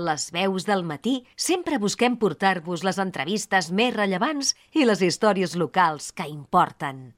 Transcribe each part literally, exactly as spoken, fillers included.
Les veus del matí sempre busquem portar-vos les entrevistes més rellevants i les històries locals que importen.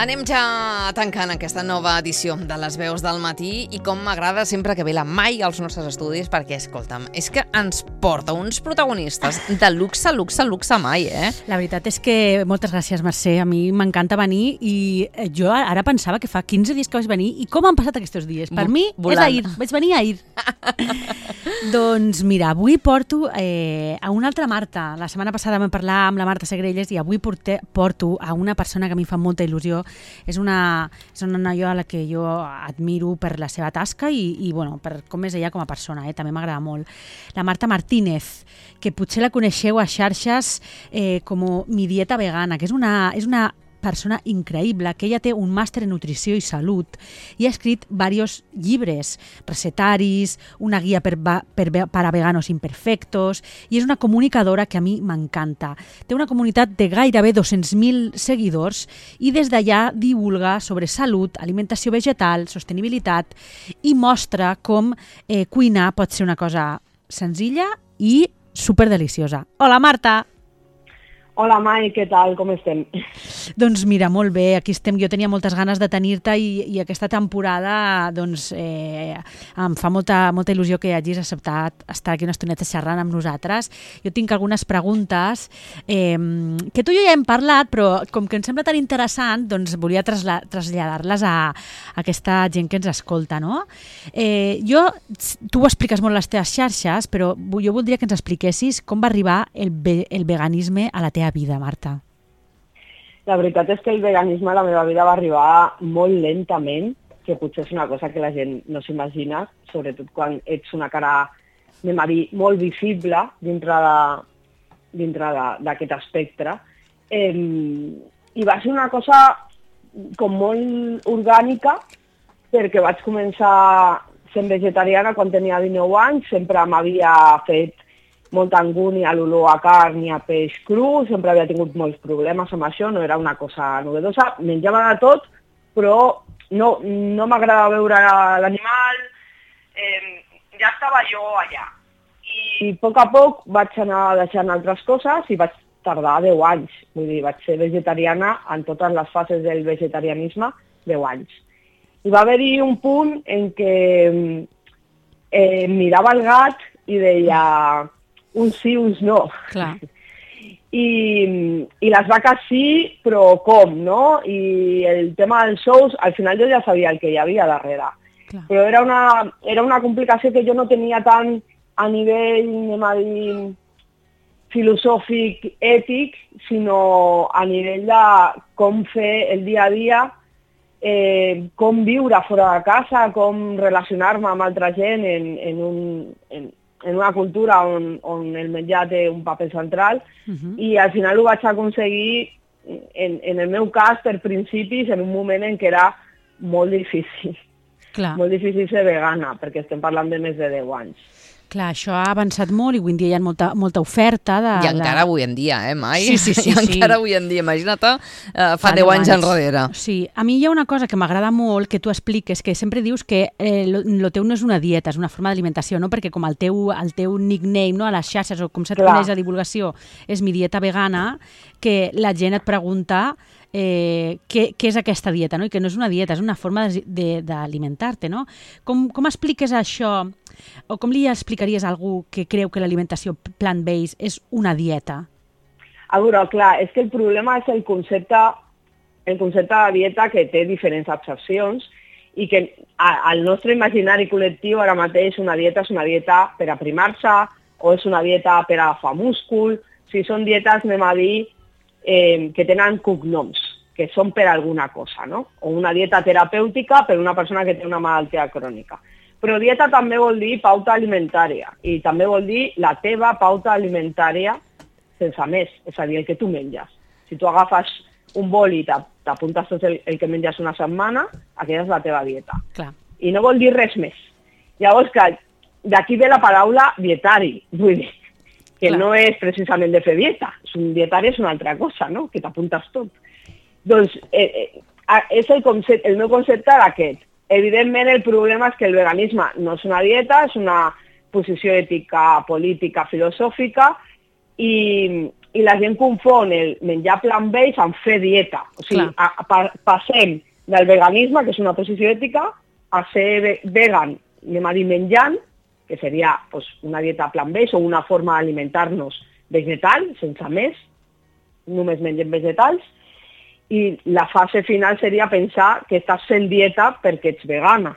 Anem ja tancant aquesta nova edició de Les Veus del Matí i com m'agrada sempre que ve la Mai als nostres estudis perquè, escolta'm, és que ens porta uns protagonistes de luxe, luxe, luxe Mai, eh? La veritat és que moltes gràcies, Mercè. A mi m'encanta venir i jo ara pensava que fa quinze dies que vaig venir i com han passat aquests dies? Per mi Volant. és ahir, vaig venir ahir. Doncs mira, avui porto eh, a una altra Marta. La setmana passada vam parlar amb la Marta Segrelles i avui porte, porto a una persona que a mi fa molta il·lusió. És una, és una noia a la que jo admiro per la seva tasca i, i bueno, per com és ella com a persona, eh? També m'agrada molt. La Marta Martínez, que potser la coneixeu a xarxes eh, com Mi Dieta Vegana, que és una, és una persona increïble, que ella té un màster en nutrició i salut i ha escrit diversos llibres, recetaris, una guia per, per, per a veganos imperfectos, i és una comunicadora que a mi m'encanta. Té una comunitat de gairebé dos-cents mil seguidors i des d'allà divulga sobre salut, alimentació vegetal, sostenibilitat i mostra com eh, cuinar pot ser una cosa senzilla i superdeliciosa. Hola, Marta! Hola, Mai, què tal? Com estem? Doncs mira, molt bé, aquí estem. Jo tenia moltes ganes de tenir-te i, i aquesta temporada doncs, eh, em fa molta, molta il·lusió que hagis acceptat estar aquí una estoneta xerrant amb nosaltres. Jo tinc algunes preguntes eh, que tu i jo ja hem parlat, però com que em sembla tan interessant, doncs volia trasla- traslladar-les a, a aquesta gent que ens escolta, no? Eh, jo, tu ho expliques molt a les teves xarxes, però jo voldria que ens expliquessis com va arribar el, ve- el veganisme a la teva vida, Marta. La veritat és que el veganisme a la meva vida va arribar molt lentament, que potser és una cosa que la gent no s'imagina, sobretot quan ets una cara, anem a dir, molt visible dintre de, dintre d'aquest espectre. Eh, I va ser una cosa com molt orgànica, perquè vaig començar sent vegetariana quan tenia dinou anys, sempre m'havia fet molta angúnia a l'olor a carn i a peix cru, sempre havia tingut molts problemes amb això, no era una cosa novedosa, menjava de tot, però no, no m'agradava veure l'animal, eh, ja estava jo allà. I a poc a poc vaig anar deixant altres coses i vaig tardar deu anys, vull dir, vaig ser vegetariana en totes les fases del vegetarianisme, deu anys. I va haver-hi un punt en què eh, mirava el gat i deia uns sí, uns no. Clar. I, I les vaques sí, però com, no? I el tema dels sous, al final jo ja sabia el que hi havia darrere. Clar. Però era una, era una complicació que jo no tenia tant a nivell, anem a dir, filosòfic, ètic, sinó a nivell de com fer el dia a dia, eh, com viure fora de casa, com relacionar-me amb altra gent en, en un... En, en una cultura on, on el menjar té un paper central, uh-huh. I al final ho vaig aconseguir, en, en el meu cas, per principis, en un moment en què era molt difícil. Clar. Molt difícil ser vegana, perquè estem parlant de més de deu anys. Clar, això ha avançat molt i avui en dia hi ha molta, molta oferta. De, I encara de... avui en dia, eh, Mai? Sí, sí, sí. I encara sí. Avui en dia, imagina't, uh, fa deu anys enrere. Sí, a mi hi ha una cosa que m'agrada molt que tu expliques, que sempre dius que eh, lo, lo teu no és una dieta, és una forma d'alimentació, no? Perquè com el teu, el teu nickname, no? A les xarxes, o com se't coneix a divulgació, és Mi Dieta Vegana, que la gent et pregunta eh, què, què és aquesta dieta, no? I que no és una dieta, és una forma d'alimentar-te, no? Com, com expliques això, o com li explicaries a algú que creu que l'alimentació plant-based és una dieta? A veure, clar, és que el problema és el concepte, el concepte de dieta, que té diferents accepcions i que al nostre imaginari col·lectiu ara mateix una dieta és una dieta per aprimar-se o és una dieta per agafar múscul. O sigui, són dietes, anem a dir, eh, que tenen cognoms, que són per alguna cosa, no? O una dieta terapèutica per una persona que té una malaltia crònica. Però dieta també vol dir pauta alimentària i també vol dir la teva pauta alimentària sense més, és a dir, el que tu menges. Si tu agafes un bol i t'apuntes tot el, el que menges una setmana, aquella és la teva dieta. Clar. I no vol dir res més. Llavors, que d'aquí ve la paraula dietari, vull dir, que Clar. No és precisament de fer dieta. Un dietari és una altra cosa, no? Que t'apuntes tot. Doncs, eh, eh, és el, concepte, el meu concepte d'aquest. Evidentment, el problema és que el veganisme no és una dieta, és una posició ètica, política, filosòfica, i, i la gent confon el menjar plant-based amb fer dieta. O sigui, a, a, passem del veganisme, que és una posició ètica, a ser vegan, anem a dir menjant, que seria pues, una dieta plant-based o una forma d'alimentar-nos vegetal, sense més, només mengem vegetals, i la fase final seria pensar que estàs fent dieta perquè ets vegana.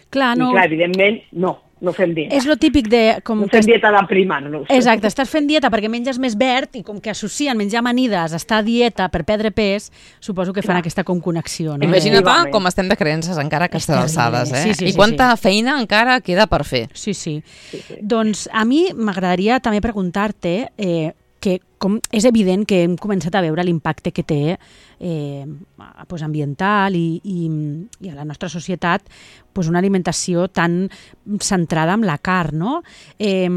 Clar, no... I clar, evidentment, no, no fem dieta. És lo típic de... Com no fem que... dieta de prima. No Exacte, estàs fent dieta perquè menges més verd i com que associen menjar amanides a estar a dieta per perdre pes, suposo que fan clar. Aquesta com connexió. No? Imagina't com estem de creences encara a aquestes alçades, eh? Sí, sí, I quanta sí, sí. feina encara queda per fer. Sí, sí. sí, sí. Doncs a mi m'agradaria també preguntar-te... Eh, que com és evident que hem començat a veure l'impacte que té eh, pues ambiental i, i, i a la nostra societat pues una alimentació tan centrada en la carn, no? Eh,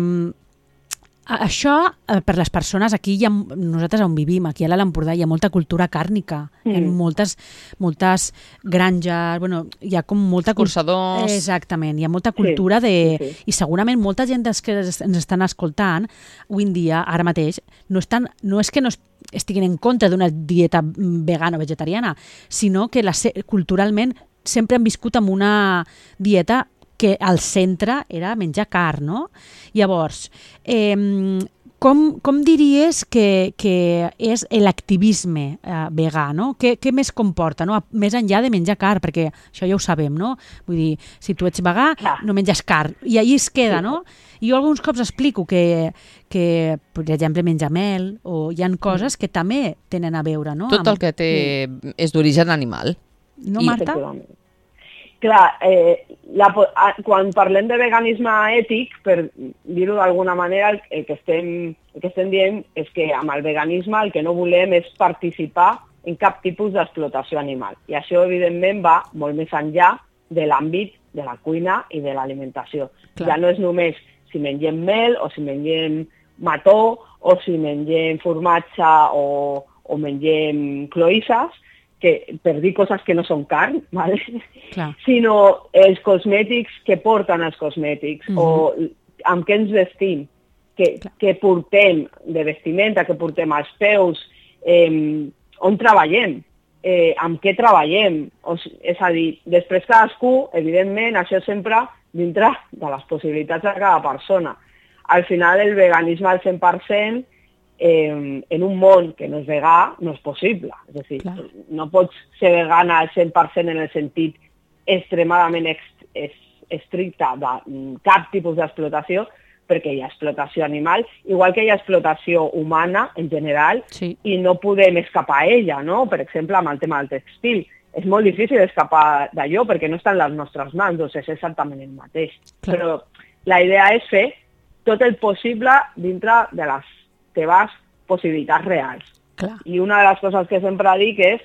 això, eh, per les persones, aquí hi ha, nosaltres on vivim, aquí a l'Alt Empordà, hi ha molta cultura càrnica, mm. hi ha moltes, moltes granges, bueno, hi ha com molta... Escorçadors... Exactament, hi ha molta cultura sí, de... Sí, sí. I segurament molta gent que ens estan escoltant avui en dia, ara mateix, no, estan, no és que no estiguin en contra d'una dieta vegana o vegetariana, sinó que la, culturalment sempre han viscut amb una dieta que al centre era menjar carn, no? Llavors, eh, com, com diries que, que és l'activisme eh, vegà, no? Què, què més comporta, no? Més enllà de menjar carn, perquè això ja ho sabem, no? Vull dir, si tu ets vegà, no menges carn, i allí es queda, no? I jo alguns cops explico que, que per exemple, menjar mel, o hi ha coses que també tenen a veure, no? Tot el que té és d'origen animal. No, Marta? Clar, eh, la, quan parlem de veganisme ètic, per dir-ho d'alguna manera, el que, estem, el que estem dient és que amb el veganisme el que no volem és participar en cap tipus d'explotació animal. I això, evidentment, va molt més enllà de l'àmbit de la cuina i de l'alimentació. Ja no és només si mengem mel o si mengem mató o si mengem formatge o, o mengem cloïsses, que, per dir coses que no són carn, ¿vale? Sinó els cosmètics que porten els cosmètics, uh-huh. o amb què ens vestim, que, que portem de vestimenta, que portem als peus, eh, on treballem, eh, amb què treballem. O, és a dir, després cadascú, evidentment, això sempre dintre de les possibilitats de cada persona. Al final, el veganisme al cent per cent Eh, en un món que no és vegà, no és possible. És a dir, clar. No pots ser vegana al cent per cent en el sentit extremadament ex- es- estricte de cap tipus d'explotació, perquè hi ha explotació animal, igual que hi ha explotació humana en general, sí. i no podem escapar a ella, no? Per exemple, amb el tema del textil. És molt difícil escapar d'allò perquè no està en les nostres mans, doncs és exactament el mateix. Clar. Però la idea és fer tot el possible dintre de les teves possibilitats reals. Clar. I una de les coses que sempre dic és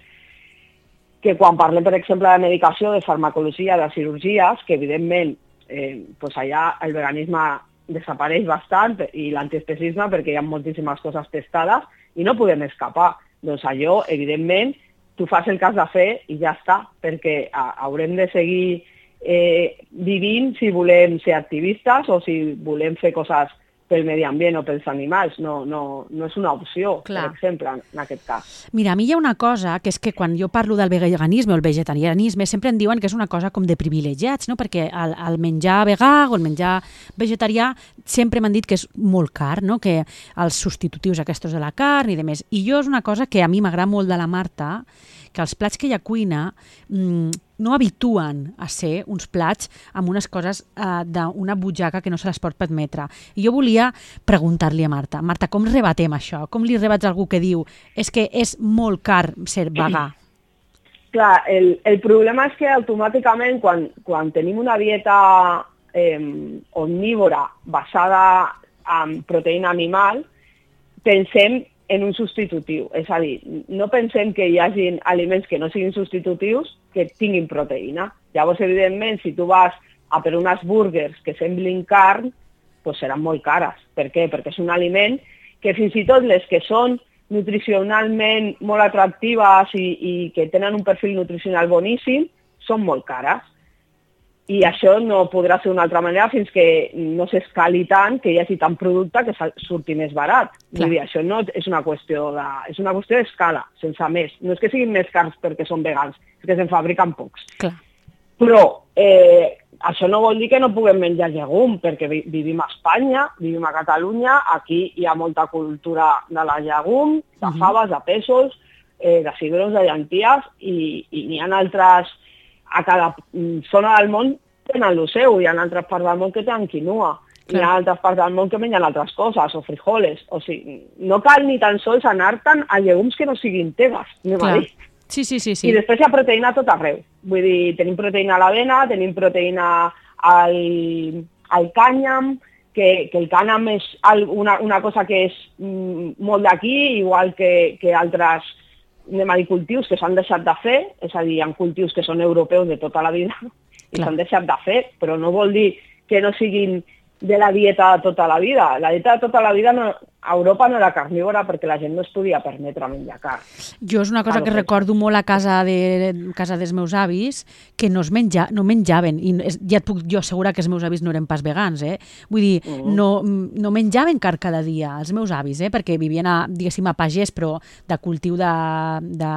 que quan parlem, per exemple, de medicació, de farmacologia, de cirurgies, que evidentment eh, pues allà el veganisme desapareix bastant i l'antiespecisme perquè hi ha moltíssimes coses testades i no podem escapar. Doncs allò, evidentment, tu fas el cas de fer i ja està, perquè a, haurem de seguir eh, vivint si volem ser activistes o si volem fer coses pel medi ambient o pels animals. No, no, no és una opció, clar. Per exemple, en aquest cas. Mira, a mi hi ha una cosa, que és que quan jo parlo del veganisme o el vegetarianisme, sempre em diuen que és una cosa com de privilegiats, no? Perquè el, el menjar vegà o el menjar vegetarià sempre m'han dit que és molt car, no? Que els substitutius aquests de la carn i de més. I jo és una cosa que a mi m'agrada molt de la Marta, que els plats que ella cuina mmm, no habituen a ser uns plats amb unes coses eh, d'una butxaca que no se les pot permetre. I jo volia preguntar-li a Marta, Marta, com rebatem això? Com li rebats a algú que diu és que és molt car ser vegà? Clar, el, el problema és que automàticament quan, quan tenim una dieta eh, omnívora basada en proteïna animal, pensem en un substitutiu. És a dir, no pensem que hi hagi aliments que no siguin substitutius que tinguin proteïna. Llavors, evidentment, si tu vas a per unes burgers que semblin carn, doncs seran molt cares. Per què? Perquè és un aliment que fins i tot les que són nutricionalment molt atractives i, i que tenen un perfil nutricional boníssim, són molt cares. I això no podrà ser d'una altra manera fins que no s'escali tant, que hi hagi tant producte que surti més barat. Vull dir, això no és una qüestió de, és una qüestió d'escala, sense més. No és que siguin més cars perquè són vegans, és que se'n fabriquen pocs. Clar. Però eh, això no vol dir que no puguem menjar llegum, perquè vi vivim a Espanya, vivim a Catalunya, aquí hi ha molta cultura de la llegum, de faves, de pèsols, eh, de cigrons, de llenties, i, i n'hi ha altres... A cada zona del món tenen el seu, hi ha altres parts del món que tenen quinoa, hi ha altres parts del món que mengen altres coses, o frijoles, o sigui, no cal ni tan sols anar-te'n a llegums que no siguin teves, anem a dir. Sí, sí, sí, sí. I després hi ha proteïna a tot arreu, vull dir, tenim proteïna a l'avena, tenim proteïna al, al cànyam, que, que el cànyam és una, una cosa que és mm, molt d'aquí, igual que, que altres anem a dir cultius que s'han deixat de fer, és a dir, hi ha cultius que són europeus de tota la vida i s'han deixat de fer, però no vol dir que no siguin de la dieta de tota la vida. La dieta de tota la vida no, a Europa no era carnívora perquè la gent no es podia permetre menjar carn. Jo és una cosa que recordo molt a casa de casa dels meus avis, que no es menja, no menjaven, i ja et puc jo assegurar que els meus avis no eren pas vegans, eh? Vull dir, uh-huh. no, no menjaven carn cada dia, els meus avis, eh? Perquè vivien, a, diguéssim, a pagès, però de cultiu de, de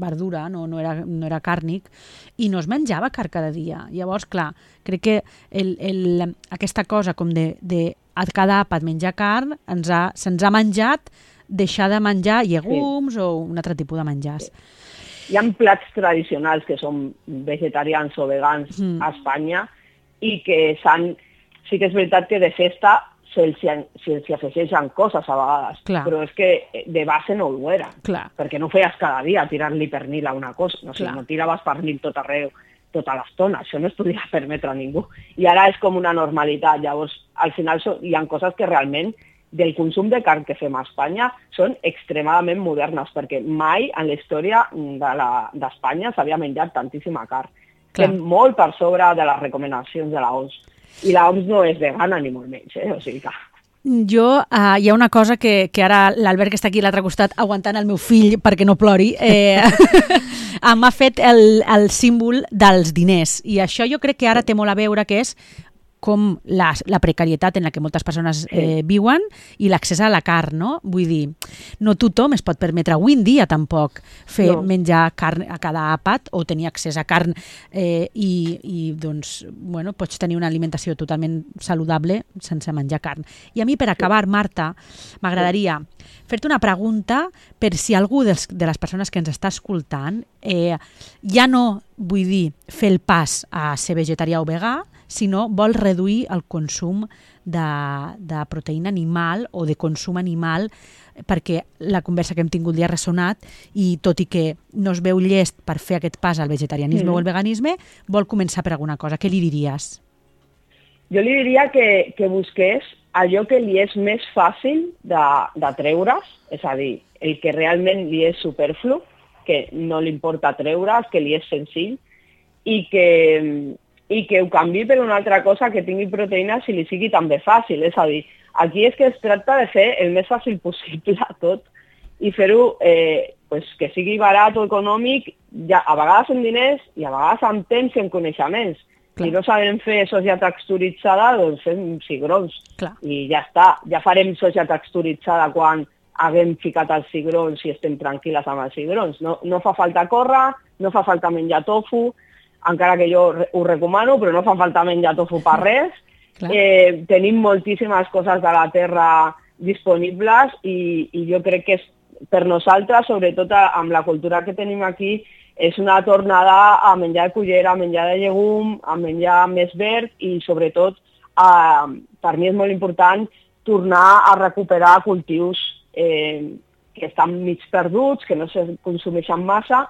verdura, no, no, era, no era càrnic, i no es menjava carn cada dia. Llavors, clar, crec que el, el, aquesta cosa com de, de a cada àpat menjar carn ens ha, se'ns ha menjat deixar de menjar llegums sí. o un altre tipus de menjars. Sí. Hi ha plats tradicionals que són vegetarians o vegans mm. a Espanya i que s'han... Sí que és veritat que de festa se'ls se se afegeixen coses a vegades, Clar. Però és que de base no ho era, Clar. Perquè no feies cada dia tirar-li pernil a una cosa, no, o sigui, no tiraves pernil tot arreu, tota l'estona, això no es podia permetre a ningú. I ara és com una normalitat, llavors al final so, hi ha coses que realment del consum de carn que fem a Espanya són extremadament modernes, perquè mai en la història d'Espanya de s'havia menjat tantíssima carn. Estem molt per sobre de les recomanacions de l'O M S. I l'O M S no és vegana ni molt menys, eh? O sigui que... Jo, uh, hi ha una cosa que, que ara l'Albert, que està aquí a l'altre costat, aguantant el meu fill perquè no plori, eh, m'ha fet el, el símbol dels diners. I això jo crec que ara té molt a veure, que és com la, la precarietat en la que moltes persones eh, viuen i l'accés a la carn, no? Vull dir, no tothom es pot permetre avui en dia tampoc fer no. menjar carn a cada àpat o tenir accés a carn eh, i, i doncs, bueno, pots tenir una alimentació totalment saludable sense menjar carn. I a mi, per acabar, Marta, m'agradaria fer-te una pregunta per si algú dels, de les persones que ens està escoltant eh, ja no, vull dir, fer el pas a ser vegetarià o vegà, sinó vol reduir el consum de, de proteïna animal o de consum animal, perquè la conversa que hem tingut li ha ressonat i tot i que no es veu llest per fer aquest pas al vegetarianisme mm. o al veganisme, vol començar per alguna cosa. Què li diries? Jo li diria que, que busqués allò que li és més fàcil de, de treure's, és a dir, el que realment li és superflu, que no li importa treure's, que li és senzill, i que... i que ho canvi per una altra cosa que tingui proteïna si li sigui també fàcil. És a dir, aquí és que es tracta de fer el més fàcil possible a tot i fer-ho eh, pues, que sigui barat o econòmic, ja, a vegades amb diners i a vegades amb temps i amb coneixements. Clar. Si no sabem fer soja texturitzada, doncs fem cigrons. Clar. I ja està. Ja farem soja texturitzada quan haguem ficat els cigrons i estem tranquil·les amb els cigrons. No, no fa falta córrer, no fa falta menjar tofu, encara que jo ho recomano, però no fa falta menjar tofu per res. Eh, tenim moltíssimes coses de la terra disponibles i, i jo crec que és, per nosaltres, sobretot amb la cultura que tenim aquí, és una tornada a menjar de cullera, a menjar de llegum, a menjar més verd i sobretot, a, per mi és molt important tornar a recuperar cultius eh, que estan mig perduts, que no se consumeixen massa,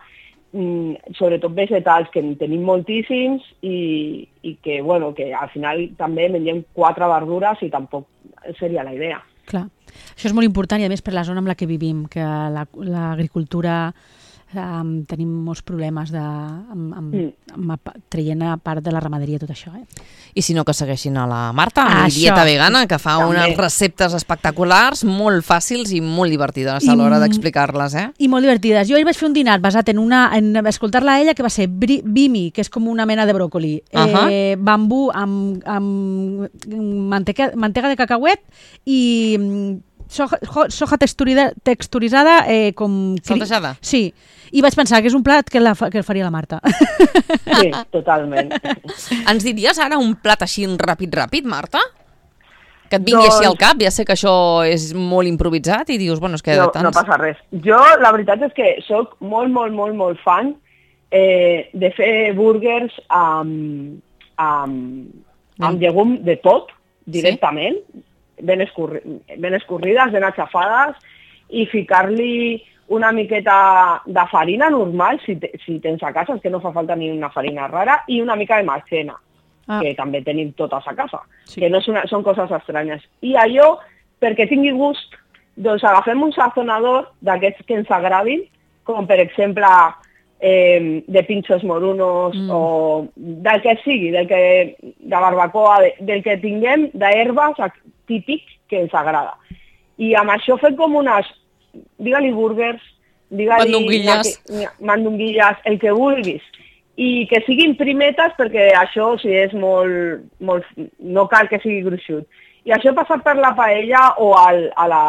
sobretot vegetals, que en tenim moltíssims i, i que, bueno, que al final també mengem quatre verdures i tampoc seria la idea. Clar. Això és molt important i a més per la zona en la que vivim, que l'agricultura um, tenim molts problemes de, amb, amb, Mm. amb, amb, traient a part de la ramaderia tot això. Eh? I si no, que segueixin a la Marta, Ah, amb això. Dieta Vegana, que fa També. unes receptes espectaculars, molt fàcils i molt divertides a I l'hora m- d'explicar-les, eh? I molt divertides. Jo ahir vaig fer un dinat basat en, una, en escoltar-la a ella, que va ser bri, bimi, que és com una mena de bròcoli, Ahà. eh, bambú amb, amb manteca, mantega de cacauet i mm, soja, jo- soja texturida, texturitzada eh, com... cri- Saltejada? Sí. I vaig pensar que és un plat que, la, fa- que el faria la Marta. Sí, totalment. Ens diries ara un plat així ràpid, ràpid, Marta? Que et vingui Doncs- així al cap, ja sé que això és molt improvisat i dius, bueno, és que de No, tants... no passa res. Jo, la veritat és que sóc molt, molt, molt, molt fan eh, de fer burgers amb, amb, amb llegum de tot, directament, ben, escurri, ben escorrides, ben aixafades, i ficar-li una miqueta de farina normal, si, te, si tens a casa, és que no fa falta ni una farina rara, i una mica de maizena, Ah. que també tenim totes a casa, Sí. que no és una, són coses estranyes. I allò, perquè tingui gust, doncs agafem un sazonador d'aquests que ens agradin, com per exemple eh, de pinchos morunos Mm. o del que sigui, del que, de barbacoa, de, del que tinguem d'herbes típic que ens agrada. I amb això fem com unes, digue-li burgers, digue-li Mandonguilles. naqui- mandonguilles, el que vulguis. I que siguin primetes, perquè això si és molt, molt, no cal que sigui gruixut. I això passa per la paella o al, a la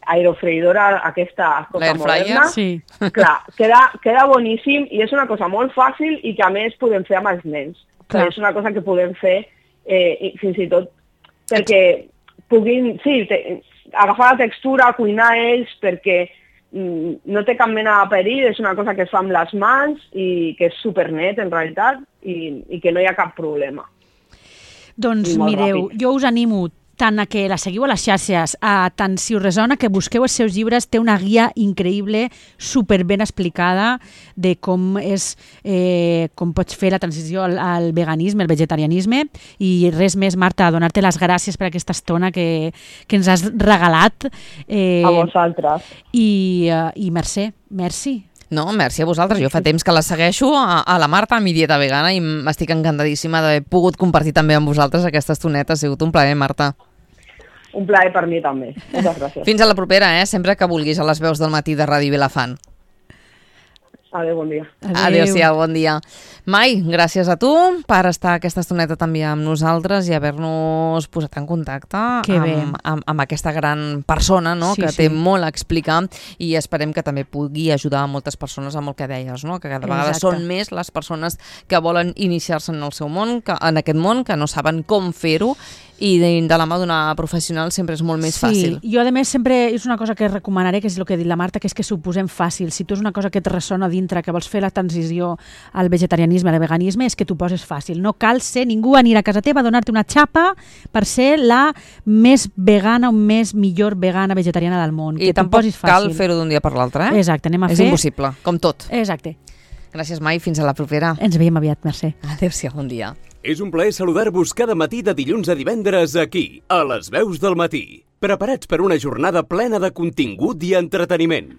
aerofreïdora aquesta cosa L'air fryer? moderna. Sí. Clar, queda, queda boníssim i és una cosa molt fàcil i que a més podem fer amb els nens. Clar. És una cosa que podem fer eh, i fins i tot perquè puguin, sí, te, agafar la textura, cuinar ells, perquè mm, no té cap mena de perill, és una cosa que es fa amb les mans i que és supernet en realitat i, i que no hi ha cap problema. Doncs I molt mireu, ràpid. jo us animo tant a que la seguiu a les xarxes, a tant si us resona que busqueu els seus llibres, té una guia increïble, super ben explicada de com és, eh, com pots fer la transició al, al veganisme, al vegetarianisme, i res més, Marta, donar-te les gràcies per aquesta estona que, que ens has regalat. Eh, A vosaltres. I, eh, i merci, merci. No, merci a vosaltres. Jo fa temps que la segueixo a, a la Marta, a mi Dieta Vegana, i m'estic encantadíssima d'haver pogut compartir també amb vosaltres aquesta estoneta. Ha sigut un plaer, Marta. Un plaer per mi també. Moltes gràcies. Fins a la propera, eh? Sempre que vulguis, a les veus del matí de Ràdio Vilafant. Adéu, bon dia. Adéu-siau, bon dia. Mai, gràcies a tu per estar aquesta estoneta també amb nosaltres i haver-nos posat en contacte Que bé. amb, amb, amb aquesta gran persona, no? Sí, que sí. té molt a explicar i esperem que també pugui ajudar a moltes persones amb el que deies, no? Que cada vegada Exacte. són més les persones que volen iniciar-se en el seu món, que, en aquest món, que no saben com fer-ho, i de, de la mà d'una professional sempre és molt més Sí, fàcil. jo a més sempre és una cosa que recomanaré, que és el que ha dit la Marta, que és que s'ho posem fàcil. Si tu és una cosa que et ressona dintre, que vols fer la transició al vegetarianisme, al veganisme, és que t'ho poses fàcil. No cal ser ningú anirà a casa teva a donar-te una xapa per ser la més vegana o més millor vegana vegetariana del món. I que t'ho tampoc posis cal fàcil. fer-ho d'un dia per l'altre, eh? Exacte, anem a És fer... impossible, com tot. Exacte. Gràcies, Mai. Fins a la propera. Ens veiem aviat, merci. Adéu-siau, bon dia. És un plaer saludar-vos cada matí de dilluns a divendres aquí, a les veus del matí. Preparats per una jornada plena de contingut i entreteniment.